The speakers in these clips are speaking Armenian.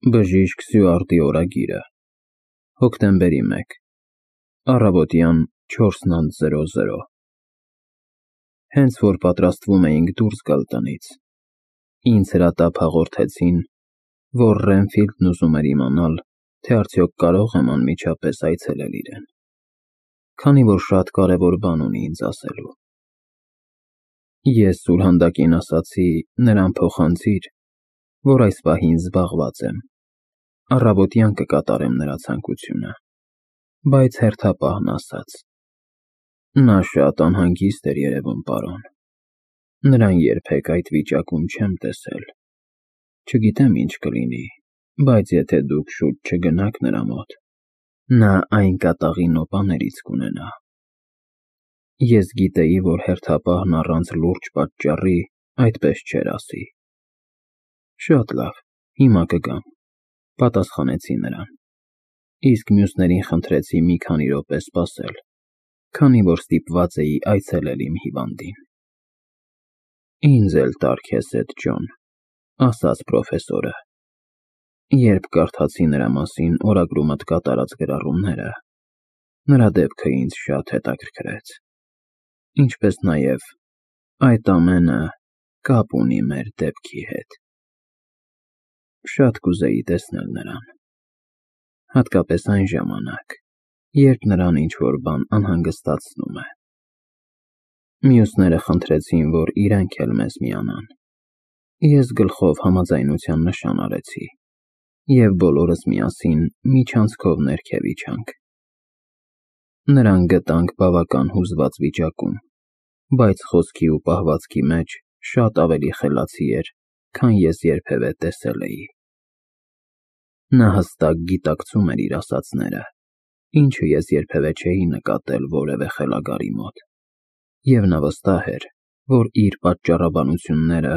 Բժիշկ Սյուարտի օրագիրը, հոկտեմբերի 1, առավոտյան 4:00 Հենց որ պատրաստվում էինք դուրս գալ տնից, ինձ հրատապ հաղորդեցին, որ Ռենֆիլդն ուզում էր իմանալ, թե արդյոք կարող եմ անմիջապես այցելել իրեն, քանի որ շատ կարևոր բան ունի ինձ ասելու։ Ես սուրհանդակին ասացի նրան փոխանցիր, որ այս պահին զբաղված եմ, առավոտյան կկատարեմ նրա ցանկությունը, բայց հերթապահն ասաց. նա շատ անհանգիստ էր երևում, պարոն, նրան երբեք այդ վիճակում չեմ տեսել, չգիտեմ ինչ կլինի, բայց եթե դուք շուտ չգնաք նրա մոտ, նա այն կատաղի նոպաներից կունենա։ Ես գիտեի, որ հերթապահն առանց լուրջ պատճառի այդպես չէր ասի։ Շատ լավ, հիմա կգամ, պատասխանեցի նրան, իսկ մյուսներին խնդրեցի մի քանի րոպե սպասել, քանի որ ստիպված էի այցելել իմ հիվանդին։ Ինձ էլ տար քեզ հետ, Ջոն, ասաց պրոֆեսորը։ Երբ կարդացի նրա մասին օրագրումդ կատարած գրառումները, նրա դեպքը ինձ շատ հետաքրքրեց, ինչպես նաև այդ ամենը կապ ունի մեր դեպքի հետ։ Շատ կուզեի տեսնել նրան, հատկապես այն ժամանակ, երբ նրան ինչ-որ բան անհանգստացնում է։ Մյուսները խնդրեցին, որ իրենք էլ մեզ միանան։ Ես գլխով համաձայնության նշան արեցի, և բոլորս միասին միջանցքով ներքև իջանք։ Նրան գտանք բավական հուզված վիճակում, բայց խոսքի ու պահվածքի մեջ շատ ավելի խելացի էր, քան ես երբևէ տեսել էի։ Նա հստակ գիտակցում էր իր ասածները, ինչը ես երբևէ չէի նկատել որևէ խելագարի մոտ, և նա վստահ էր, որ իր պատճառաբանությունները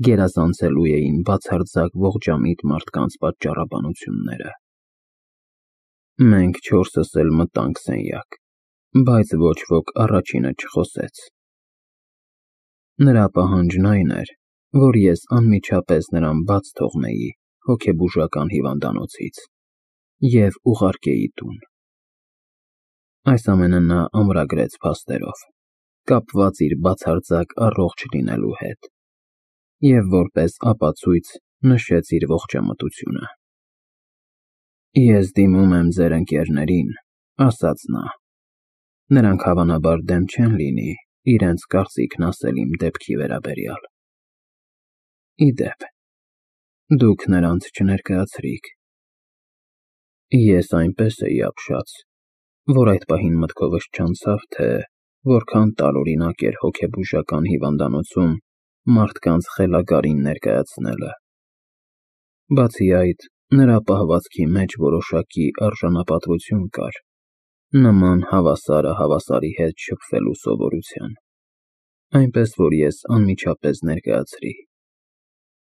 գերազանցելու էին բացարձակ ողջամիտ մարդկանց պատճառաբանությունները։ Մենք չորսս էլ մտանք սենյակ, բայց ոչ ոք առաջինը չխոսեց։ Նրա պահանջն այն էր, որ ես անմիջապես նրան բաց թողնեի հոգեբուժական հիվանդանոցից և ուղարկեի տուն։ Այս ամենը նա ամրագրեց փաստերով, կապված իր բացարձակ առողջ լինելու հետ, և որպես ապացույց նշեց իր ողջամտությունը։ Ես դիմում եմ ձեր ընկերներին, ասաց նա, նրանք հավանաբար դեմ չեն լինի իրենց կարծիքն ասել իմ դեպքի վերաբերյալ։ Ի դեպ, դուք նրանց չներկայացրիք։ Ես այնպես էի ապշած, որ այդ պահին մտքովս չանցավ, թե որքան տարօրինակ էր հոգեբուժական հիվանդանոցում մարդկանց խելագարին ներկայացնելը։ Բացի այդ, նրա պահվածքի մեջ որոշակի արժանապատվություն կար, նման հավասարը հավասարի հետ շփվելու սովորության, այնպես որ ես անմիջապես ներկայացրի.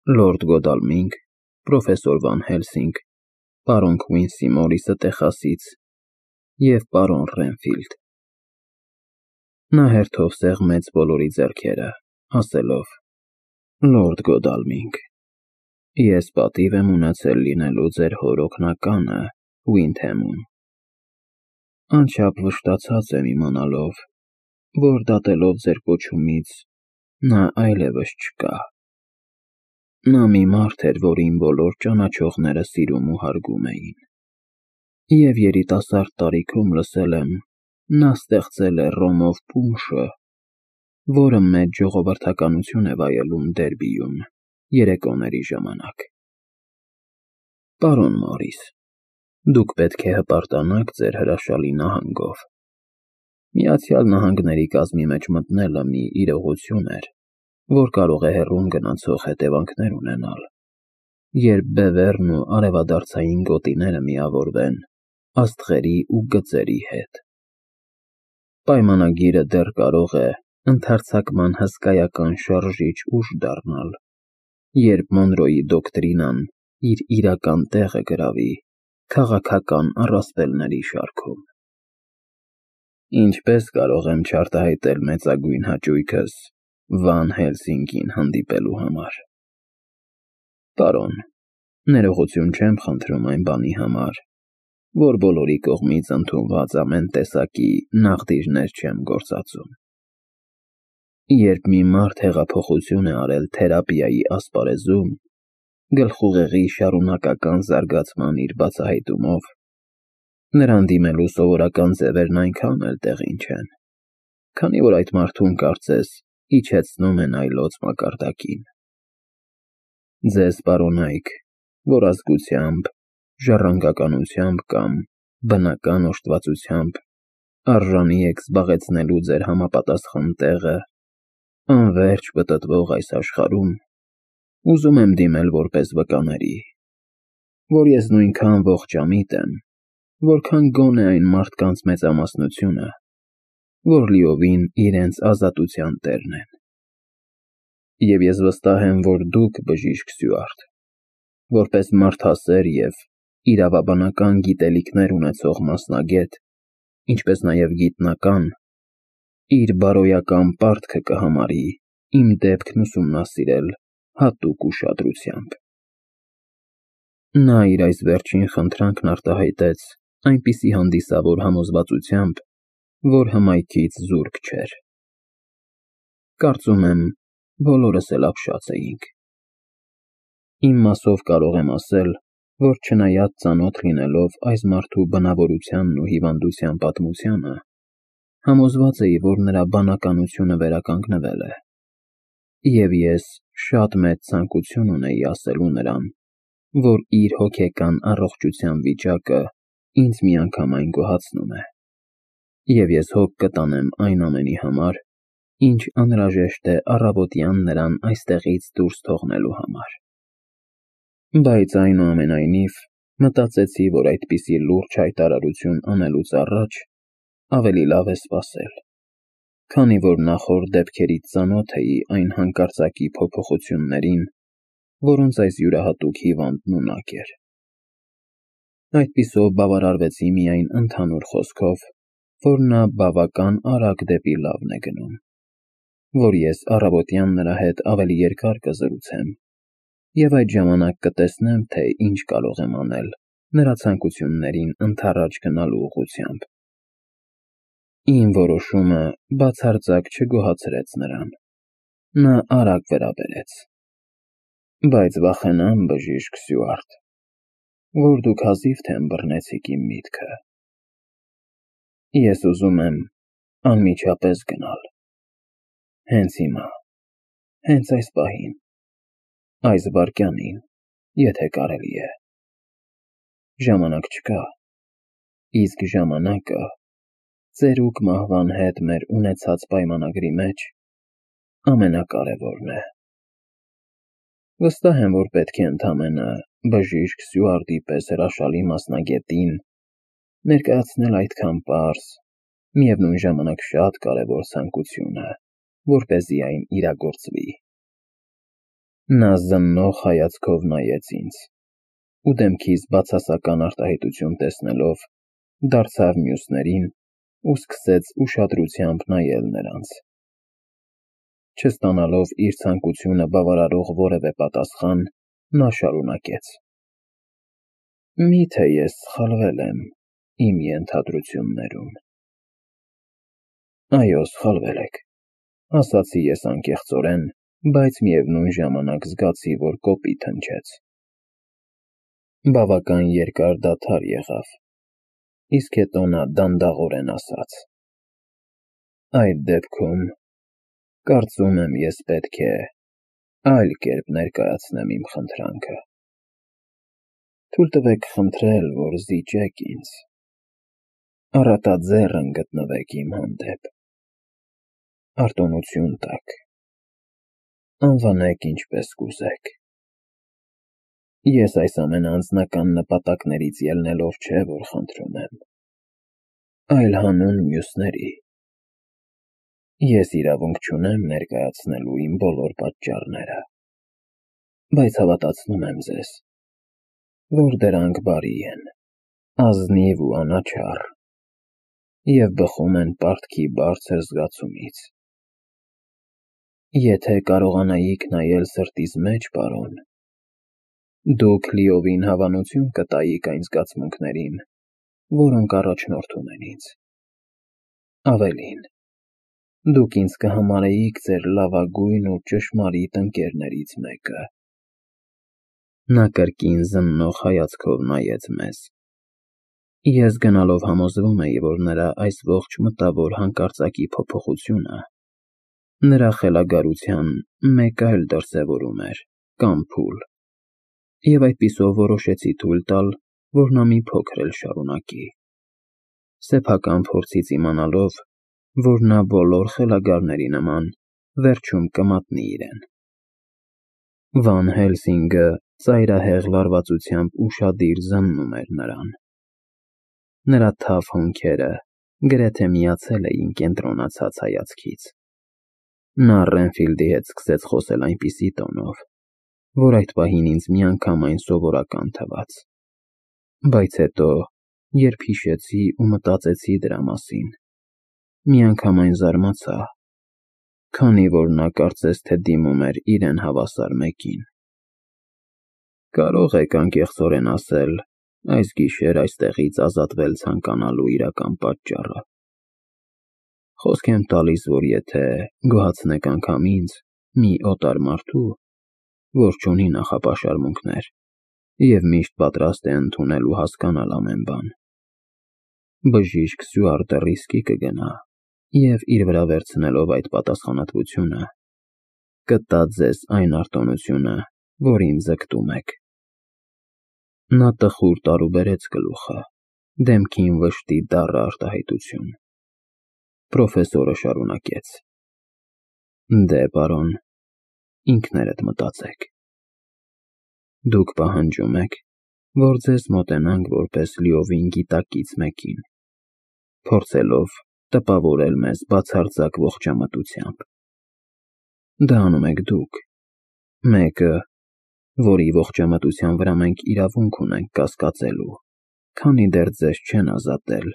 Լորդ Գոդալմինգ, պրոֆեսոր Վան Հելսինգ, պարոն Քվինսի Մորիսը Տեխասից և պարոն Ռենֆիլդ։ Նա հերթով սեղմեց բոլորի ձեռքերը, ասելով. Լորդ Գոդալմինգ, ես պատիվ եմ ունեցել լինելու ձեր հոր օգնականը Ուինդհեմում։ Անչափ վշտացած եմ իմանալով, որ դատելով ձեր կոչումից նա այլևս չկա։ Նա մի մարդ էր, որին բոլոր ճանաչողները սիրում ու հարգում էին, և երիտասարդ տարիքում լսել եմ, նա ստեղծել է ռոմով պունշը, որը մեծ ժողովրդականություն է վայելում Դերբիում երեկոների ժամանակ։ Պարոն Մորիս, դուք պետք է հպարտանաք ձեր հրաշալի նահանգով։ Միացյալ Նահանգների կազմի մեջ մտնելը մի իրողություն էր, որ կարող է հեռուն գնացող հետևանքներ ունենալ, երբ բևեռն ու արևադարձային գոտիները միավորվեն աստղերի ու գծերի հետ։ Պայմանագիրը դեռ կարող է ընդհարձակման հսկայական շարժիչ ուժ դառնալ, երբ Մոնրոյի դոկտրինան իր իրական տեղը գրավի քաղաքական առասպելների շարքում։ Ինչպես կարող եմ չարտահայտել մեծագույն հաճույքս Վան Հելսինգին հանդիպելու համար։ Պարոն, Ներողություն չեմ խնդրում այն բանի համար, որ բոլորի կողմից ընդունված ամեն տեսակի նաղդիրներ չեմ գործածում։ Երբ մի մարդ հեղափոխություն է արել թերապիայի ասպարեզում, գլխուղեղի շարունակական զարգացման իր բացահայտումով, նրան դիմելու սովորական ձևերն այնքան էլ տեղին չեն, քանի որ այդ մարդուն կարծես իջեցնում են այլոց մակարդակին։ Ձեզ պարոնայք, որ ազգությամբ, ժառանգականությամբ կամ բնական օժտվածությամբ արժանի եք զբաղեցնելու ձեր համապատասխան տեղը անվերջ պտտվող այս աշխարհում, ուզում եմ դիմել որպես վկաների, որ ես նույնքան ողջամիտ եմ, որքան գոնե այն մարդկանց մեծամասնությունը, որ լիովին իրենց ազատության տերն են։ Եվ ես վստահ եմ, որ դուք, բժիշկ Սյուարտ, որպես մարդասեր և իրավաբանական գիտելիքներ ունեցող մասնագետ, ինչպես նաև գիտնական, իր բարոյական պարտքը կհամարի իմ դեպքն ուսումնասիրել հատուկ ուշադրությամբ։ Նա իր այս վերջին խնդրանքն արտահայտեց այնպիսի հանդիսավոր համոզվածությամբ, որ հմայքից զուրկ չէր։ Կարծում եմ, բոլորս էլ ապշած էինք։ Իմ մասով կարող եմ ասել, որ չնայած ծանոթ լինելով այս մարդու բնավորությանն ու հիվանդության պատմությանը, համոզված էի, որ նրա բանականությունը վերականգնվել է, և ես շատ մեծ ցանկություն ունեի ասելու նրան, որ իր հոգեկան առողջության վիճակը ինձ միանգամայն գոհացնում է, և ես հոգ կտանեմ այն ամենի համար, ինչ անհրաժեշտ է առավոտյան նրան այստեղից դուրս թողնելու համար։ Բայց այնուամենայնիվ մտածեցի, որ այդպիսի լուրջ հայտարարություն անելուց առաջ ավելի լավ է սպասել, քանի որ նախորդ դեպքերից ծանոթ էի այն հանկարծակի փոփոխություններին, որոնց այս յուրահատուկ հիվանդն ունակ էր։ Այդպիսով բավարարվեցի միայն ընդհանուր խոսքով, որ նա բավական արագ դեպի լավն է գնում, որ ես առավոտյան նրա հետ ավելի երկար կզրուցեմ, և այդ ժամանակ կտեսնեմ, թե ինչ կարող եմ անել նրա ցանկություններին ընդառաջ գնալու ուղղությամբ։ Իմ որոշումը բացարձակ չգոհացրեց նրան։ Նա արագ վրա բերեց. Բայց վախենամ, բժիշկ Սյուարտ, որ դուք հազիվ թե ըմբռնեցիք իմ միտքը։ Ես ուզում եմ անմիջապես գնալ։ Հենց հիմա, հենց այս պահին, այս վայրկյանին, եթե կարելի է։ Ժամանակ չկա, իսկ ժամանակը ծերուկ մահվան հետ մեր ունեցած պայմանագրի մեջ ամենակարևորն է։ Վստահ եմ, որ պետք է ընդամենը բժիշկ Սյուարտի պես հրաշալի մասնագետին ներկայացնել այդքան պարզ, միևնույն ժամանակ շատ կարևոր ցանկությունը, որպեսզի այն իրագործվի։ Նա զննող հայացքով նայեց ինձ ու դեմքիս բացասական արտահայտություն տեսնելով, դարձավ մյուսներին ու սկսեց ուշադրությամբ նայել նրանց։ Չստանալով իր ցանկությունը բավարարող որևէ պատասխան, նա շարունակեց. Միթե ես սխալվել եմ իմ ենթադրություններում։ Այո, սխալվել եք, ասացի ես անկեղծորեն, բայց միևնույն ժամանակ զգացի, որ կոպիտ հնչեց։ Բավական երկար դադար եղավ, իսկ հետո նա դանդաղորեն ասաց. Այդ դեպքում, կարծում եմ, ես պետք է այլ կերպ ներկայացնեմ իմ խնդրանքը։ Թույլ տվեք խնդրել, որ զիջեք ինձ, առատաձեռն գտնվեք իմ հանդեպ, արտոնություն տաք, անվանեք ինչպես կուզեք։ Ես այս ամենը անձնական նպատակներից ելնելով չէ, որ խնդրում եմ, այլ հանուն մյուսների։ Ես իրավունք չունեմ ներկայացնելու իմ բոլոր պատճառները, բայց հավատացնում եմ ձեզ, որ դրանք բարի են, ազնիվ ու անաչառ, և բխում են պարտքի բարձր զգացումից։ Եթե կարողանայիք նայել սրտիս մեջ, պարոն, Դուք լիովին հավանություն կտայիք այն զգացմունքներին, որոնք առաջնորդում են ինձ։ Ավելին, դուք ինձ կհամարեիք ձեր լավագույն ու ճշմարիտ ընկերներից մեկը։ Նա կրկին զննող հայացքով նայեց մեզ։ Ես գնալով համոզվում էի, որ նրա այս ողջ մտավոր հանկարծակի փոփոխությունը նրա խելագարության մեկ այլ դրսևորում էր կամ փուլ, և այդպիսով որոշեցի թույլ տալ, որ նա մի փոքր էլ շարունակի, սեփական փորձից իմանալով, որ նա բոլոր խելագարների նման վերջում կմատնի իրեն։ Վան Հելսինգը ծայրահեղ լարվածությամբ ուշադիր զննում էր նրան։ Նրա թավ հոնքերը գրեթե միացել էին կենտրոնացած հայացքից։ Նա Ռենֆիլդի հետ սկսեց խոսել այնպիսի տոնով, որ այդ պահին ինձ միանգամայն սովորական թվաց, բայց հետո, երբ հիշեցի ու մտածեցի դրա մասին, միանգամայն զարմացա, քանի որ նա կարծես թե դիմում էր իրեն հավասար մեկին։ Կարող եք անկեղծորեն ասել, այս գիշեր այստեղից ազատվել ցանկանալու իրական պատճառը։ Խոսք եմ տալիս, որ եթե գոհացնեք անգամ ինձ, մի օտար մարդու, որ չունի նախապաշարմունքներ և միշտ պատրաստ է ընդունել ու հասկանալ ամեն բան, բժիշկ Սյուարտը ռիսկի կգնա և իր վրա վերցնելով այդ պատասխանատվությունը, կտա ձեզ այն արտոնությունը, որին ձգտում եք։ Նա տխուր տարուբերեց գլուխը, դեմքին վշտի դառը արտահայտություն։ Պրոֆեսորը շարունակեց. Դե, պարոն, ինքներդ մտածեք։ Դուք պահանջում եք, որ ձեզ մոտենանք որպես լիովին գիտակից մեկին, փորձելով տպավորել մեզ բացարձակ ողջամտությամբ։ Դա անում եք դուք, մեկը, որի ողջամտության վրա մենք իրավունք ունենք կասկածելու, քանի դեռ ձեզ չեն ազատել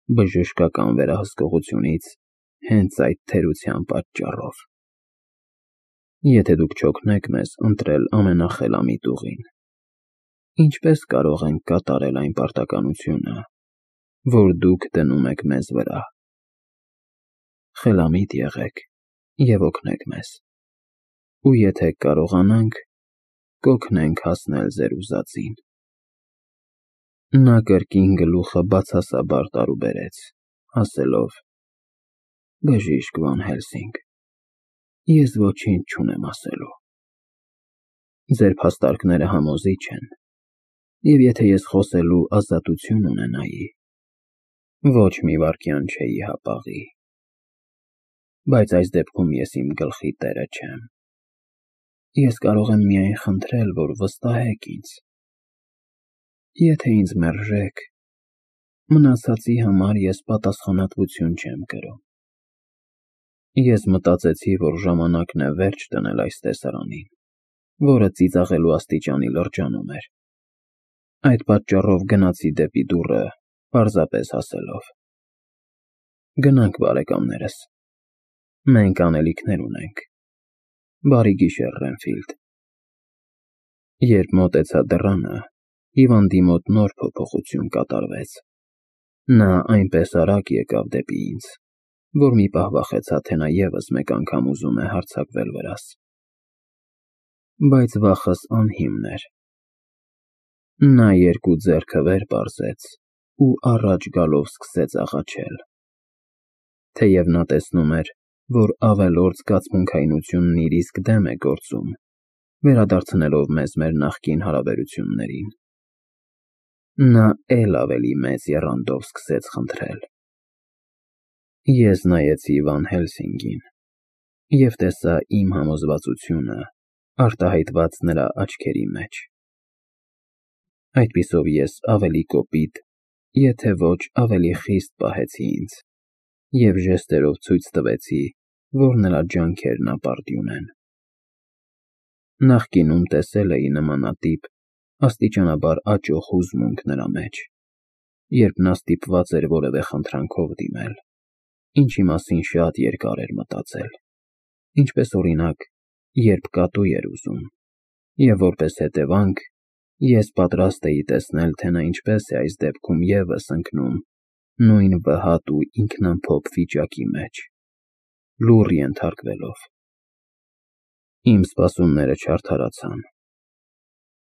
բժշկական վերահսկողությունից հենց այդ թերության պատճառով։ Եթե դուք չօգնեք մեզ ընտրել ամենախելամիտ ուղին, ինչպես կարող ենք կատարել այն պարտականությունը, որ դուք դնում եք մեզ վրա։ Խելամիտ եղեք և օգնեք մեզ, ու եթե կարողանանք, կօգնենք հասնել ձեր ուզածին։ Նա կրկին գլուխը բացասաբար տարուբերեց, ասելով. Բժիշկ Վան Հելսինգ, ես ոչինչ չունեմ ասելու։ Ձեր փաստարկները համոզիչ են, և եթե ես խոսելու ազատություն ունենայի, ոչ մի վայրկյան չէի հապաղի։ Բայց այս դեպքում ես իմ գլխի տերը չեմ։ Ես կարող եմ միայն խնդրել, որ վստահեք ինձ։ Եթե ինձ մերժեք, մնացածի համար ես պատասխանատվություն չեմ կրում։ Ես մտածեցի, որ ժամանակն է վերջ դնել այս տեսարանին, որը ծիծաղելու աստիճանի լրջանում էր։ Այդ պատճառով գնացի դեպի դուռը, պարզապես ասելով. Գնանք, բարեկամներս, մենք անելիքներ ունենք։ Բարի գիշեր, Ռենֆիլդ։ Երբ մոտեցա դռանը, հիվանդի մոտ նոր փոփոխություն կատարվեց։ Նա այնպես արագ եկավ դեպի ինձ, որ մի պահ վախեցա, թե նա ևս մեկ անգամ ուզում է հարձակվել վրաս։ Բայց վախս անհիմն էր։ Նա երկու ձեռքը վեր պարզեց ու առաջ գալով սկսեց աղաչել։ Թեև նա տեսնում էր, որ ավելորդ զգացմունքայնությունն իր իսկ դեմ է գործում, վերադարձնելով մեզ մեր նախկին հարաբերություններին, նա էլ ավելի մեծ եռանդով սկսեց խնդրել։ Ես նայեցի Վան Հելսինգին և տեսա իմ համոզվածությունը արտահայտված նրա աչքերի մեջ։ Այդպիսով ես ավելի կոպիտ, եթե ոչ ավելի խիստ պահեցի ինձ և ժեստերով ցույց տվեցի, որ նրա ջանքերն ապարդյուն են։ Նախկինում տեսել էի նմանատիպ աստիճանաբար աճող հուզմունք նրա մեջ, երբ նա ստիպված էր որևէ խնդրանքով դիմել, ինչի մասին շատ երկար էր մտածել, ինչպես օրինակ, երբ կատու էր ուզում, և որպես հետևանք, Ես պատրաստ էի տեսնել, թե նա ինչպես է այս դեպքում ևս ընկնում նույն վհատ ու ինքնամփոփ վիճակի մեջ, լուռ ենթարկվելով։ Իմ սպասումները չարդարացան,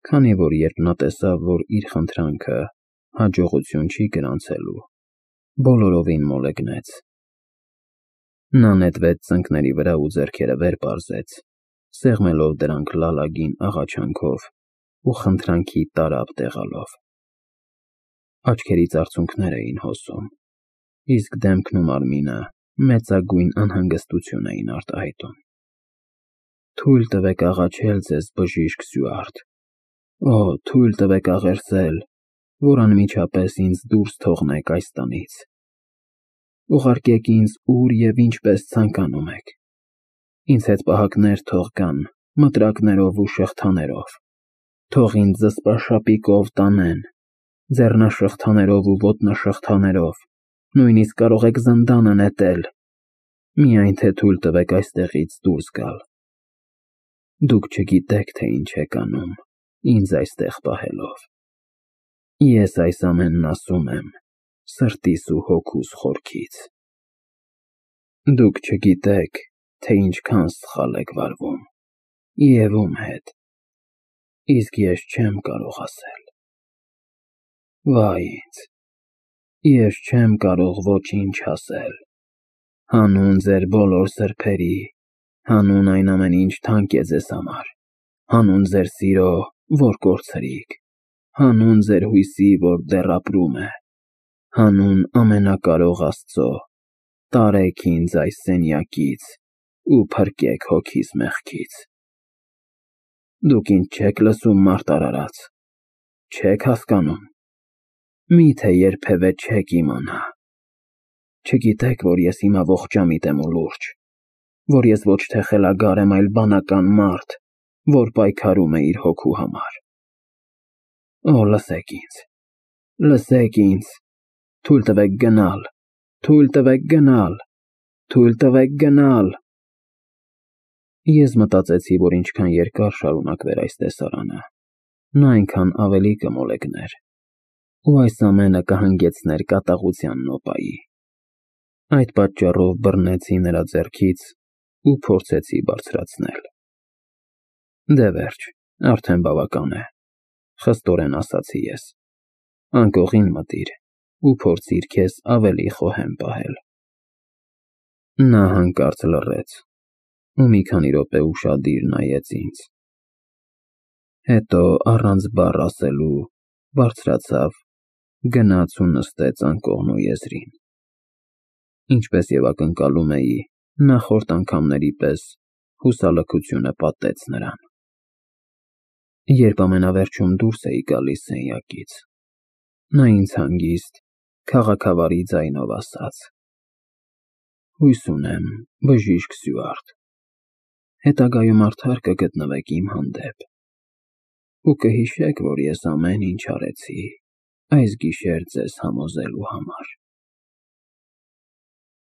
քանի որ երբ նա տեսավ, որ իր խնդրանքը հաջողություն չի գրանցելու, բոլորովին մոլեգնեց։ Նա նետվեց ծնկների վրա ու ձեռքերը վեր պարզեց, սեղմելով դրանք լալագին աղաչանքով ու խնդրանքի տարափ տեղալով։ Աչքերից արցունքներ էին հոսում, իսկ դեմքն ու մարմինը մեծագույն անհանգստություն էին արտահայտում։ Թույլ տվեք աղաչել ձեզ, բժիշկ Սյուարտ, օ, թույլ տվեք աղերսել, որ անմիջապես ինձ դուրս թողնեք այս տնից։ Ուղարկեք ինձ ուր և ինչպես ցանկանում եք։ Ինձ հետ պահակներ թող գան, մտրակներով ու շղթաներով, թող ինձ զսպաշապիկով տանեն, ձեռնաշղթաներով ու ոտնաշղթաներով, նույնիսկ կարող եք զնդանը նետել, միայն թե թույլ տվեք այստեղից դուրս գալ։ Դուք չգիտեք, թե ինչ եք անում, ինձ այստեղ պահելով։ Ես այս ամենն ասում եմ սրտիս ու հոգուս խորքից։ Դուք չգիտեք, թե ինչքան սխալ եք վարվում, և ում հետ, իսկ ես չեմ կարող ասել։ Վայ ինձ, ես չեմ կարող ոչինչ ասել, հանուն ձեր բոլոր սրբերի, հանուն այն ամենի, ինչ թանկ է ձեզ համար, հանուն ձեր սիրո, որ կորցրիք, հանուն ձեր հույսի, որ դեռ ապրում է, հանուն ամենակարող Աստծո, տարեք ինձ այս սենյակից ու փրկեք հոգիս մեղքից։ Դուք ինձ չեք լսում, մարդ արարած, չեք հասկանում, միթե երբևէ չեք իմանա։ Չգիտեք, որ ես հիմա ողջամիտ եմ ու լուրջ, որ ես ոչ թե խելագար եմ, այլ բանական մարդ, որ պայքարում է իր հոգու համար։ Օ, լսեք ինձ, թույլ տվեք գնալ, թույլ տվեք գնալ, թույլ տվեք գնալ։ Ես մտածեցի, որ ինչքան երկար շարունակվեր այս տեսարանը, նա այնքան ավելի կմոլեգներ, ու այս ամենը կհանգեցներ կատաղության նոպայի։ Այդ պատճառով բռնեցի նրա ձեռքից ու փորձեցի բարձրացնել։ Դե վերջ, արդեն բավական է, խստորեն ասացի ես։ Անկողին մտիր ու փորձիր քեզ ավելի խոհեմ պահել։ Նա հանկարծ լռեց ու մի քանի րոպե ուշադիր նայեց ինձ։ Հետո առանց բառ ասելու բարձրացավ, գնաց ու նստեց անկողնու եզրին։ Ինչպես և ակնկալում էի, նախորդ անգամների պես հուսալքությունը պատեց նրան։ Երբ ամենավերջում դուրս էի գալիս սենյակից, նա ինձ հանգիստ, քաղաքավարի ձայնով ասաց. Հույս ունեմ, բժիշկ Սյուարտ, հետագայում արդար կգտնվեք իմ հանդեպ ու կհիշեք, որ ես ամեն ինչ արեցի այս գիշեր ձեզ համոզելու համար։